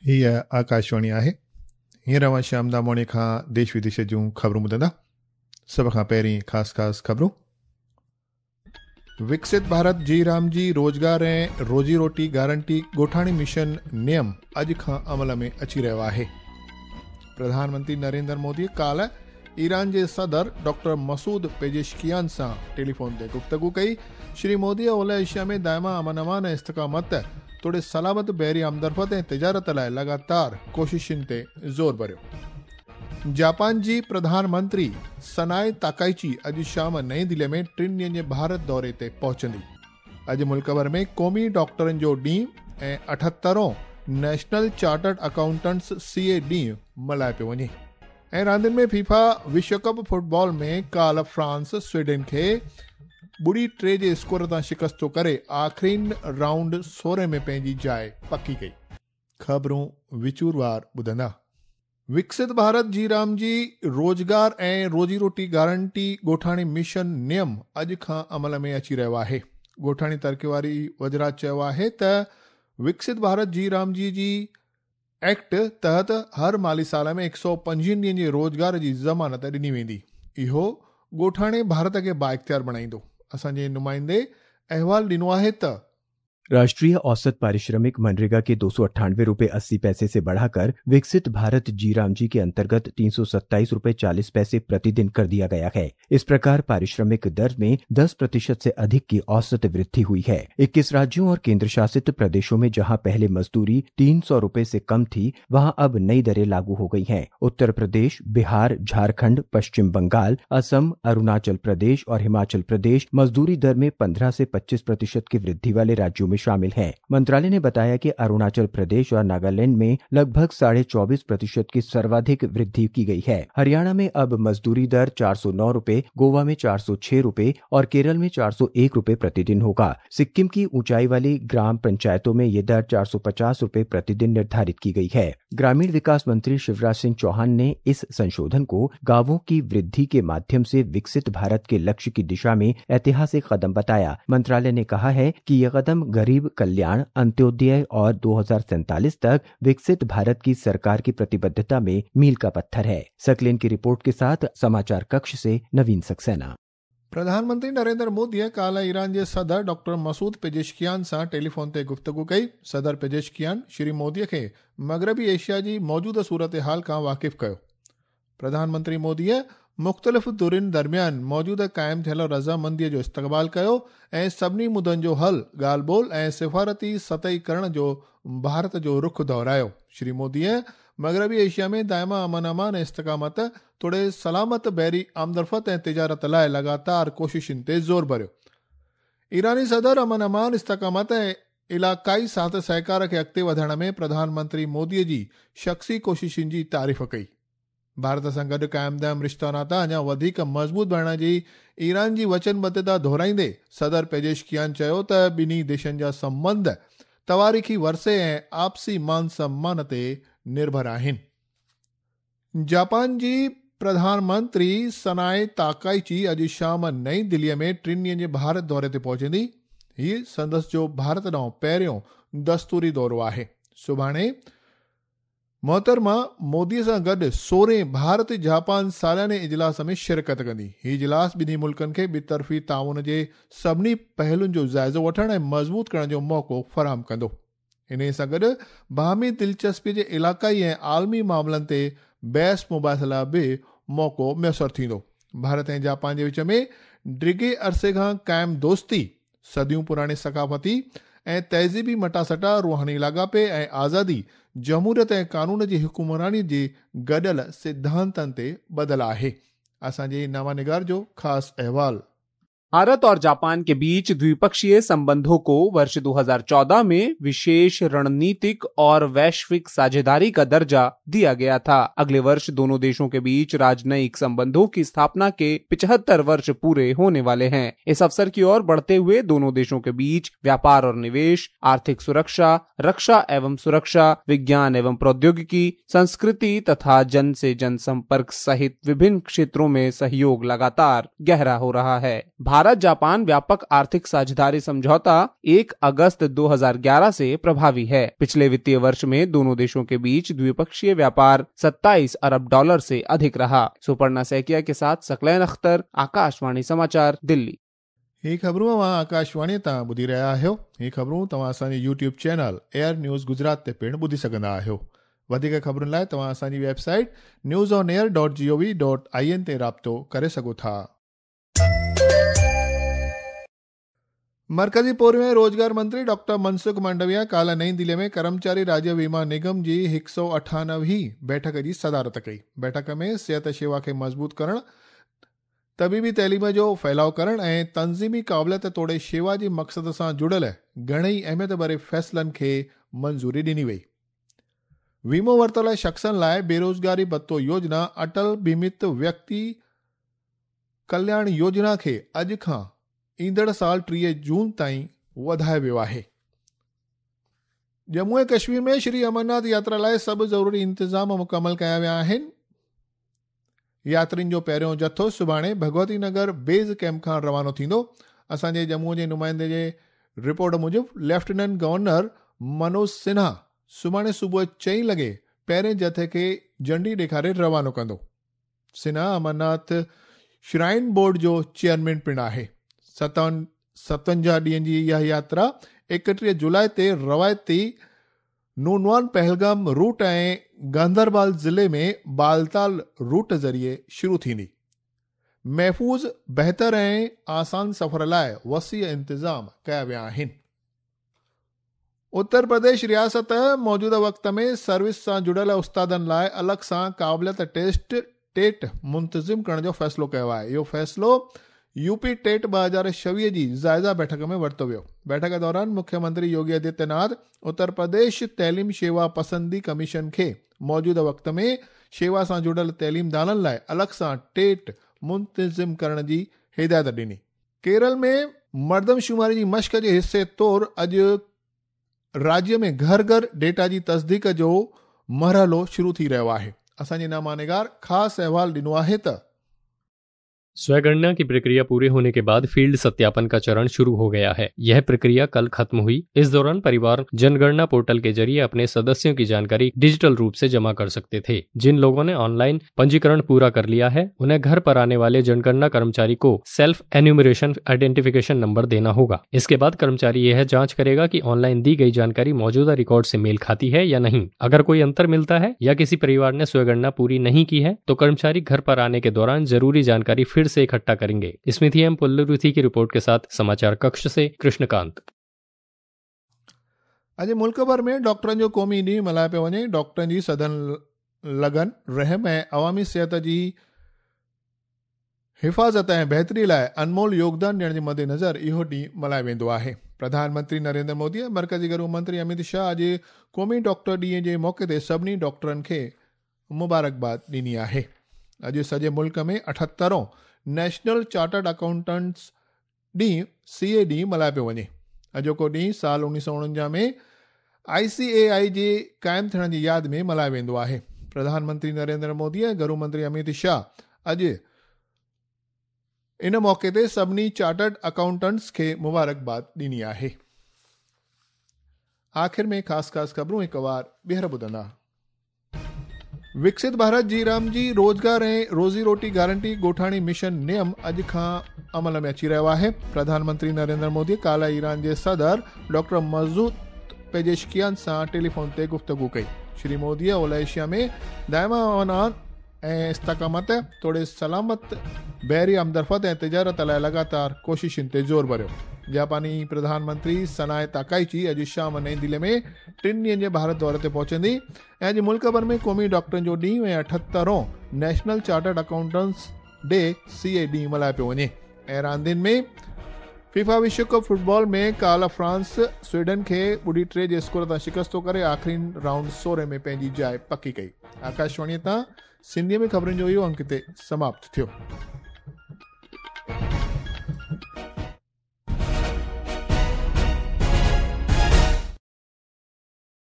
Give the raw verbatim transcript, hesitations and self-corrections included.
हीअ आकाशवाणी आहे। हींअर अव्हां श्याम दामोणी खां देश विदेश जूं ख़बरूं ॿुधंदा। सभ खां पहिरीं ख़ासि ख़ासि ख़बरूं। विकसित भारत जी राम जी रोज़गार ऐं रोज़ी रोटी गारंटी ॻोठाणी मिशन नियम अॼु खां अमल में अची रहियो आहे। प्रधानमंत्री नरेंद्र मोदी काल्ह ईरान जे सदर डॉक्टर मसूद पेजेशकियान सां टेलीफोन ते गुफ्तगू कई। श्री मोदी ओलह एशिया में दायमा अमन अमान ऐं इस्तिकामत तोड़े सलामत बहरी आमदरफ़त ऐं तिजारत लाइ लगातार कोशिशुनि ते ज़ोर भरियो। जापान जी प्रधानमंत्री सनाए ताकाइची अॼु शाम नई दिल्लीअ में टिनि ॾींहनि जे भारत दौरे ते पहुचंदी। अॼु मुल्क भर में क़ौमी डॉक्टरनि जो ॾींहुं ऐं अठहतरों नेशनल चार्टर्ड अकाउंटंट्स सी ए ॾींहुं मल्हायो पियो वञे। ऐं रांदियुनि में फीफा विश्व कप फुटबॉल में काल्ह फ्रांस स्वीडन खे ॿुड़ी टे जे स्कोर तां शिकस्तो करे आख़िरीन राउंड सोरहं में पंहिंजी जाइ पकी कई। ख़बरूं विचूरवार ॿुधंदा। विकसित भारत जी राम जी रोज़गार ऐं रोज़ी रोटी गारंटी ॻोठाणी मिशन नियम अॼु खां अमल में अची रहियो आहे। ॻोठाणी तरक़ी वारी वज़रात चयो आहे त विकसित भारत जी राम जी जी एक्ट तहत हर माली साल में हिकु सौ पंजवीह ॾींहनि जे रोज़गार जी ज़मानत ॾिनी वेंदी। इहो ॻोठाणे भारत खे बाइख़्तियार बणाईंदो। असांजे नुमाइंदे अहवाल ॾिनो आहे त राष्ट्रीय औसत पारिश्रमिक मनरेगा के दो सौ अट्ठानवे रुपये अस्सी पैसे से बढ़ाकर विकसित भारत जी राम जी के अंतर्गत तीन सौ सत्ताईस रुपये चालीस पैसे प्रतिदिन कर दिया गया है। इस प्रकार पारिश्रमिक दर में दस प्रतिशत से अधिक की औसत वृद्धि हुई है। इक्कीस राज्यों और केंद्र शासित प्रदेशों में जहां पहले मजदूरी तीन सौ रुपये से कम थी, वहां अब नई दरें लागू हो गई हैं। उत्तर प्रदेश, बिहार, झारखंड, पश्चिम बंगाल, असम, अरुणाचल प्रदेश और हिमाचल प्रदेश मजदूरी दर में पंद्रह से पच्चीस प्रतिशत की वृद्धि वाले राज्यों में शामिल हैं। मंत्रालय ने बताया कि अरुणाचल प्रदेश और नागालैंड में लगभग साढ़े चौबीस प्रतिशत की सर्वाधिक वृद्धि की गई है। हरियाणा में अब मजदूरी दर चार सौ नौ रुपये, गोवा में चार सौ छह रुपये और केरल में चार सौ एक रुपये प्रतिदिन होगा। सिक्किम की ऊंचाई वाली ग्राम पंचायतों में ये दर चार सौ पचास रुपये प्रतिदिन निर्धारित की गई है। ग्रामीण विकास मंत्री शिवराज सिंह चौहान ने इस संशोधन को गांवों की वृद्धि के माध्यम से विकसित भारत के लक्ष्य की दिशा में ऐतिहासिक कदम बताया। मंत्रालय ने कहा है कि यह कदम गरीब कल्याण, अंत्योदय और दो हजार सैंतालीस तक विकसित भारत की सरकार की प्रतिबद्धता में मील का पत्थर है। सकलेन की रिपोर्ट के साथ समाचार कक्ष से नवीन सक्सेना। प्रधानमंत्री नरेंद्र मोदीअ काल्ह ईरान जे सदर डॉक्टर मसूद पेजेशकियान सां टेलीफोन ते गुफ्तगू कई। सदर पेजेशकियान श्री मोदीअ खे मग़रबी एशिया जी मौजूदा सूरत हाल खां वाक़िफ़ कयो। प्रधानमंत्री मोदीअ मुख़्तलिफ़ धुरियुनि दरमियान मौजूदा क़ाइमु थियल रज़ामंदीअ जो इस्तक़बाल कयो ऐं सभिनी मुदनि जो हल ॻाल्हि ॿोल ऐं सिफ़ारती सतही करण जो भारत जो रुख दोहरायो। श्री मोदीअ मग़रबी एशिया में दायमा अमन अमान ऐं इस्तिकामत तोड़े सलामत बहरी आमदरफ़त ऐं तिजारत लाइ लगातार कोशिशुनि ते ज़ोर भरियो। ईरानी सदर अमन अमान, इस्तिकामत ऐं इलाक़ाई साथ सहकार खे अॻिते वधाइण में प्रधानमंत्री मोदीअ जी शख़्सी कोशिशुनि जी तारीफ़ कई। भारत सां गॾु क़ाइम दाइम रिश्ता नाता अञा वधीक मज़बूत बणाइण जी ईरान जी वचनबद्धता दोहराईंदे सदर पेजेशकियान चयो त ॿिन्ही देशनि जा संबंध तवारीख़ी वरसे ऐं आपसी मान सम्मान ते निर्भर आहिनि। जापान जी प्रधानमंत्री सनाए ताकाइची अॼु शाम नई दिल्लीअ में टिनि ॾींहनि जे भारत दौरे ते पहुचंदी। हीउ संदसि जो भारत ॾांहुं पहिरियों दस्तूरी दौरो आहे। सुभाणे मोहतरमा मोदीअ सां गॾु सोरहें भारत जापान सालाने इजलास में शिरकत कंदी। हीउ इजलास ॿिन्ही मुल्कनि खे ॿितरफ़ी ताउन जे सभिनी पहलुनि जो जाइज़ो वठण ऐं मज़बूत करण जो मौक़ो फराहम कंदो। इन सां गॾु बाहमी दिलचस्पी जे इलाक़ाई ऐं आलमी मामलनि ते बहस मुबाहिसे लाइ बि मौक़ो मयसर थींदो। भारत ऐं जापान जे विच में डिघे अरसे खां क़ाइमु दोस्ती, सदियूं पुराणे सकाफ़ती ऐं तहज़ीबी मटासटा, रूहानी लाॻापे ऐं आज़ादी, जमहूरियत ऐं कानून जी हुकुमरानी जे गॾियल सिद्धांतनि ते ॿधल आहे। असांजे नवानिगार जो ख़ासि अहवाल। भारत और जापान के बीच द्विपक्षीय संबंधों को वर्ष दो हज़ार चौदह में विशेष रणनीतिक और वैश्विक साझेदारी का दर्जा दिया गया था। अगले वर्ष दोनों देशों के बीच राजनयिक संबंधों की स्थापना के पचहत्तर वर्ष पूरे होने वाले हैं। इस अवसर की ओर बढ़ते हुए दोनों देशों के बीच व्यापार और निवेश, आर्थिक सुरक्षा, रक्षा एवं सुरक्षा, विज्ञान एवं प्रौद्योगिकी, संस्कृति तथा जन से जन संपर्क सहित विभिन्न क्षेत्रों में सहयोग लगातार गहरा हो रहा है। भारत भारत जापान व्यापक आर्थिक साझेदारी समझौता एक अगस्त दो हज़ार ग्यारह से प्रभावी है। पिछले वित्तीय वर्ष में दोनों देशों के बीच द्विपक्षीय व्यापार सत्ताईस अरब डॉलर से अधिक रहा। सुपर्णा सैकिया के साथ सकलैन अख्तर, आकाशवाणी समाचार, दिल्ली। ही ख़बरूं तव्हां आकाशवाणी तां ॿुधी रहिया आहियो। ही ख़बरूं तव्हां असांजे YouTube channel Air News Gujarat ते पिणु ॿुधी सघंदा आहियो। वधीक ख़बरुनि लाइ तव्हां असांजी website news on air dot G O V dot I N ते राब्तो करे सघो था। मरकज़ी पोरियो ऐं रोज़गार मंत्री डॉक्टर मनसुख मांडविया काल्ह नई दिल्ली में कर्मचारी राज्य वीमा निगम जी हिकु सौ अठानवे बैठक जी सदारत कई। बैठक में सिहत शेवा खे मज़बूत करणु, तबीबी तइलीम जो फैलाव करणु ऐं तंज़ीमी क़ाबिलियत तोड़े शेवा जे मक़सद सां जुड़ियल घणेई अहमियत भरे फ़ैसिलनि खे मंज़ूरी ॾिनी वई। वीमो वरितल शख़्सनि लाइ बेरोज़गारी भत्तो योजना अटल बीमित व्यक्ति कल्याण योजना खे अॼु खां ईंदड़ साल टीह जून ताईं वधायो वियो आहे। जम्मू ऐं कश्मीर में श्री अमरनाथ यात्रा लाइ सभु ज़रूरी इंतज़ाम मुकमल कया विया आहिनि। यात्रियुनि जो पहिरियों जथो सुभाणे भगवती नगर बेज़ कैंप खां रवानो थींदो। असांजे जम्मू जे नुमाइंदे जे रिपोर्ट मूजिबि लेफ्टिनेंट गवर्नर मनोज सिन्हा सुभाणे सुबुह चई लॻे पहिरें जथे खे झंडी ॾेखारे रवानो कंदो। सिन्हा अमरनाथ श्राइन बोर्ड जो चेयरमैन पिणु आहे। सतवन सतवंजाह ॾींहनि जी इहा यात्रा एकटीह जुलाई ते रवायती नूनवान पहलगाम रूट ऐं गांदरबाल ज़िले में बालताल रूट ज़रिए शुरू थींदी। महफ़ूज़, बहितर ऐं आसान सफ़र लाइ वसी इंतज़ाम कया विया आहिनि। उत्तर प्रदेश रियासत मौजूदा वक़्त में सर्विस सां जुड़ियल उस्तादनि लाइ अलॻि सां क़ाबिलियत टेस्ट टेट मुंतज़िम करण जो फ़ैसिलो कयो आहे। इहो फ़ैसिलो यूपी टेट ॿ हज़ार छवीह जी जायज़ा बैठक में वरितो वियो। बैठक दौरान मुख्यमंत्री योगी आदित्यनाथ उत्तर प्रदेश तइलीम शेवा पसंदी कमीशन खे मौजूदा वक़्त में शेवा सां जुड़ियल तइलीमदाननि लाइ अलॻि सां टेट मुंतज़िम करण जी हिदायत ॾिनी। केरल में मर्दमशुमारी जी मश्क जे हिसे तौर अॼु राज्य में घर घर डेटा जी तस्दीक जो मरहलो शुरू थी रहियो आहे। असांजे नामानिगार ख़ासि अहवाल ॾिनो आहे त स्वगणना की प्रक्रिया पूरी होने के बाद फील्ड सत्यापन का चरण शुरू हो गया है। यह प्रक्रिया कल खत्म हुई। इस दौरान परिवार जनगणना पोर्टल के जरिए अपने सदस्यों की जानकारी डिजिटल रूप से जमा कर सकते थे। जिन लोगों ने ऑनलाइन पंजीकरण पूरा कर लिया है उन्हें घर पर आने वाले जनगणना कर्मचारी को सेल्फ एन्यूमरेशन आइडेंटिफिकेशन नंबर देना होगा। इसके बाद कर्मचारी यह जाँच करेगा कि ऑनलाइन दी गई जानकारी मौजूदा रिकॉर्ड से मेल खाती है या नहीं। अगर कोई अंतर मिलता है या किसी परिवार ने स्वगणना पूरी नहीं की है तो कर्मचारी घर पर आने के दौरान जरूरी जानकारी फिर से इकट्ठा करेंगे। स्मृति एम पुल्लुरुथी की रिपोर्ट के साथ समाचार कक्ष से कृष्णकांत। अॼु मुल्क भर में डॉक्टरनि जो क़ौमी ॾींहुं मल्हायो पियो वञे। डॉक्टरनि जी सदन लगन, रहम ऐं अवामी सिहत जी हिफ़ाज़त ऐं बहितरी लाइ अनमोल योगदान ॾियण जे मद्देनज़र इहो ॾींहुं मल्हायो वेंदो आहे। प्रधानमंत्री नरेंद्र मोदी ऐं मरकज़ी गृह मंत्री अमित शाह अॼु क़ौमी डॉक्टर ॾींहं जे मौक़े ते सभिनी डॉक्टरनि खे मुबारकबाद ॾिनी आहे। अॼु सॼे मुल्क में अठहतरों नेशनल चार्टर्ड अकाउंटेंट्स ॾींहुं सी ए ॾींहुं मल्हायो पियो वञे। अॼोको ॾींहुं साल उणिवीह सौ उणवंजाह में आई सी ए आई जे क़ाइमु थियण जी यादि में मल्हायो वेंदो आहे। प्रधानमंत्री नरेंद्र मोदी ऐं गृह मंत्री अमित शाह अॼु इन मौक़े ते सभिनी चार्टर्ड अकाउंटेंट्स खे मुबारकबाद ॾिनी आहे। आख़िर में ख़ासि ख़ासि ख़बरूं हिकु वार ॿीहर ॿुधंदा। विकसित भारत जी राम जी रोज़गार ऐं रोज़ी रोटी गारंटी ॻोठाणी मिशन नियम अॼु खां अमल में अची रहियो आहे। प्रधानमंत्री नरेंद्र मोदी काल्ह ईरान जे सदर डॉक्टर मसूद पेजेशकियान सां टेलीफोन ते गुफ्तगू कई। श्री मोदीअ ओलह एशिया में दायमा अमन ऐं इस्तिकामत तोड़े सलामत बहरी आमदरफ़्त ऐं तिजारत लाइ लगातार कोशिशुनि ते ज़ोर भरियो। जापानी प्रधानमंत्री सनाए ताकाइची अॼु शाम नई दिल्ली में टिनि ॾींहनि जे भारत दौरे ते पहुचंदी ऐं अॼु मुल्क भर में क़ौमी डॉक्टरनि जो ॾींहुं ऐं अठहतरों national chartered accountants day C A ॾींहुं मल्हायो पियो वञे। ऐं रांदियुनि में फीफा विश्व कप फुटबॉल में काल्ह फ्रांस स्वीडन खे ॿुड़ी टे जे स्कोर तां शिकस्तो करे आख़िरी राउंड सोरहं में पंहिंजी जाइ पकी कई। आकाशवाणीअ तां सिंधीअ में ख़बरुनि जो इहो अंक हिते समाप्त थियो।